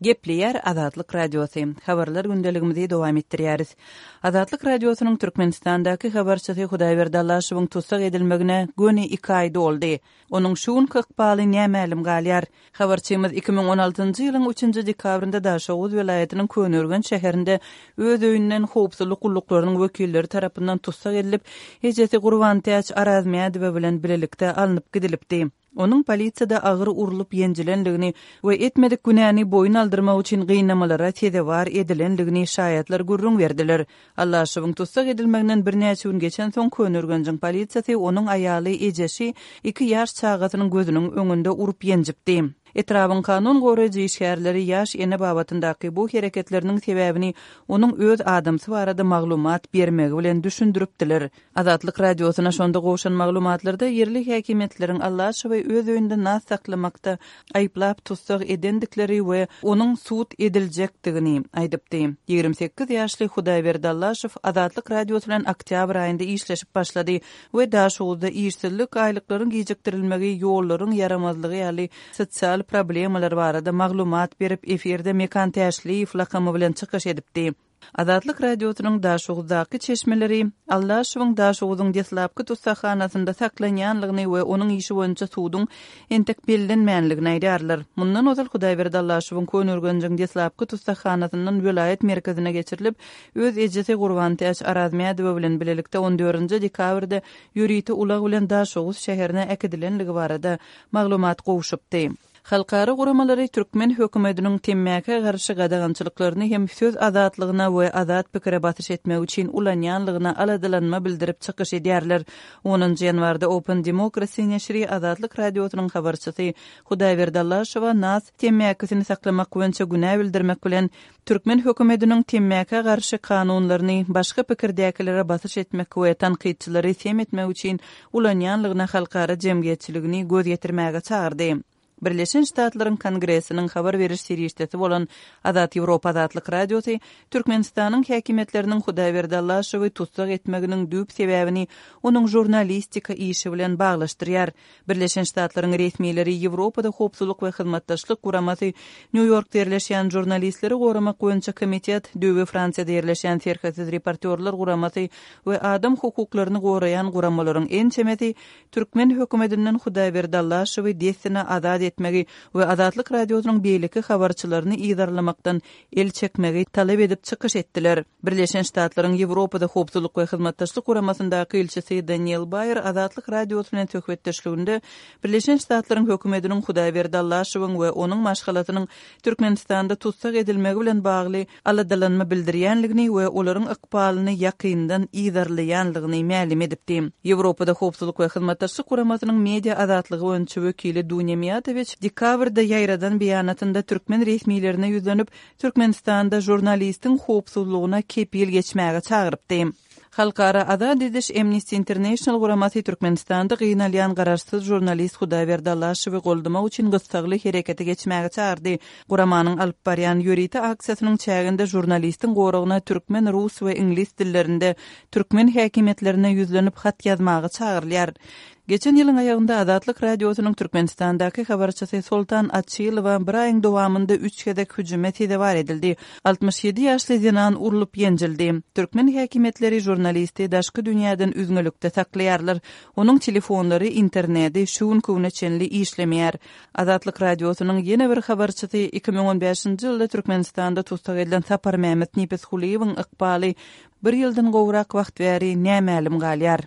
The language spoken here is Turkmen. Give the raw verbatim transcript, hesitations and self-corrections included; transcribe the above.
Gepleýär Azatlyk Radiosy. Habarlar gündeligimizi dowam etdirýäris. Azatlyk Radiosynyň Türkmenistandaky habarçysy Hudaýberdi Allaşowyň tussag edilmegine göni iki aý doldy. Onuň şu günki ykbaly nämälim galýar. Habarçymyz iki müň on altynjy ýylyň üçünji dekabrynda Daşoguz welaýatynyň Köneürgenç şäherinde öz öýünden howpsuzlyk gulluklarynyň wekilleri tarapyndan tussag edilip, ejesi Gurbantäç Arazmädowa bilen bilelikde alnyp gidilipdi. Onuň polisiýada agyr urlup ýenjilendigini we etmedik günäni boýun aldyrmak üçin gynamalara sezewar edilendigini şaýatlar gürrüň berdiler. Allaşowyň tussag edilmeginden birnäçe gün geçensoň Köneürgenjiň polisiýasy onuň aýaly, ejesi, iki ýaş çagasynyň gözüniň öňünde urup ýenjipdi. Etrabyň kanun goraýjy işgärleri ýaş ene babatyndaky bu hereketleriniň sebäbini onuň öz adamsy barada maglumat bermegi bilen düşündiripdiler. Azatlyk Radiosyna şonda gowşan maglumatlarda ýerli häkimiýetleriň Allaşowy öz öýünde nas saklamakda aýyplap tussag edendikleri we onuň sud ediljekdigini aýdypdy. Ýigrimi sekiz ýaşly Hudaýberdi Allaşow Azatlyk Radiosy bilen oktýabr aýynda işleşip başlady we Daşoguzda işsizlik, aýlyklaryň gijikdirilmegi, ýollaryň ýaramazlygy ýaly sosial problemalar barada maglumat berip, efirde Mekan Täşliýew lakamy bilen çykyş edipdi. Azatlyk Radiosynyň Daşoguzdaky çeşmeleri Allaşowyň Daşoguzyň deslapky tussaghanasynda saklanýanlygyny we onuň işi boýunça suduň entek bellenmänligini aýdýarlar. Mundan ozal Hudaýberdi Allaşowyň Köneürgenjiň deslapky tussaghanasyndan welaýat merkezine geçirilip, öz ejesi Gurbantäç Arazmädowa bilen bilelikde on dördünji dekabrda ýörite ulag bilen Daşoguz şäherine äkidilenligi barada maglumat gowşupdy. Halkara guramalary türkmen hökümetiniň temmäkä garşy gadagançylyklaryny hem söz azatlygyna we azat pikire basyş etmek üçin ulanýanlygyna aladalanma bildirip çykyş edýärler. Onunjy ýanwarda Open Democracy neşiri Azatlyk Radiosynyň habarçysy Hudaýberdi Allaşowa nas temmäkisini saklamak boýunça günä bildirmek bilen türkmen hökümetiniň temmäkä garşy kanunlaryny başga pikirdäkilere basyş etmek we tankytçylary sem etmek üçin ulanýanlygyna halkara jemgyýetçiligini göz ýetirmäge çagyrdy. Birleşen Ştatlaryň Kongresiniň habar beriş serişdesi bolan Azat Ýewropa Azatlyk Radiosy Türkmenistanyň häkimiýetleriniň Hudaýberdi Allaşowy tussag etmeginiň düýp sebäbini onuň žurnalistika işi bilen baglaşdyrýar. Birleşen Ştatlaryň resmileri Ýewropada Howpsuzlyk we Hyzmatdaşlyk Guramasy, Nýu-Ýorkda ýerleşýän Žurnalistleri goramak boýunça komitet, Düýbi Fransiýada ýerleşýän Serhetsiz reportýorlar guramasy we adam hukuklaryny goraýan guramalaryň ençemesi türkmen hökümetinden Hudaýberdi Allaşowy dessine azat etmegi we Azatlyk Radiosynyň beýleki habarçylaryny yzarlamakdan el çekmegi talap edip çykyş etdiler. Birleşen Ştatlaryň Ýewropada Howpsuzlyk we Hyzmatdaşlyk Guramasyndaky ilçisi Daniel Baýer Azatlyk Radiosy bilen söhbetdeşliginde Birleşen Ştatlaryň hökümetiniň Hudaýberdi Allaşowyň we onuň maşgalasynyň Türkmenistanda tussag edilmegi bilen bagly aladalanma bildirýänligini we olaryň ykbalyny ýakyndan yzarlaýanlygyny mälim edipdi. Ýewropada Howpsuzlyk we Hyzmatdaşlyk Guramasynyň media azatlygy boýunça wekili Dunýa Miýatowiç dekabrda ýaýradan beýanatynda türkmen resmilerine ýüzlenip, Türkmenistanda žurnalistiň howpsuzlygyna kepil geçmäge çagyrypdy. Halkara azat ediş Amnesty International guramasy Türkmenistanda gynalýan garaşsyz žurnalist Hudaýberdi Allaşowy goldamak üçin gyssagly herekete geçmäge çagyrdy. Guramanyň alyp barýan ýörite aksiýasynyň çäginde žurnalistiň goragyna türkmen, rus we iňlis dillerinde türkmen häkimiýetlerine ýüzlenip hat ýazmaga çagyrylýar. Geçen ýylyň aýagynda Azatlyk Radiosynyň Türkmenistandaky habarçysy Soltan Açylowa bir aýyň dowamynda üç gezek hüjüme sezewar edildi. Altmyş ýedi ýaşly zenan urlup ýenjildi. Türkmen häkimiýetleri žurnalisti daşky dünýäden üzňelikde saklaýarlar. Onuň telefonlary, interneti şu günki güne çenli işlemeýär. Azatlyk Radiosynyň ýene bir habarçysy iki müň on bäşinji ýylda Türkmenistanda tussag edilen Saparmämmet Nepesgulyýewiň ykbaly bir ýyldan gowrak wagt bäri nämälim galýar.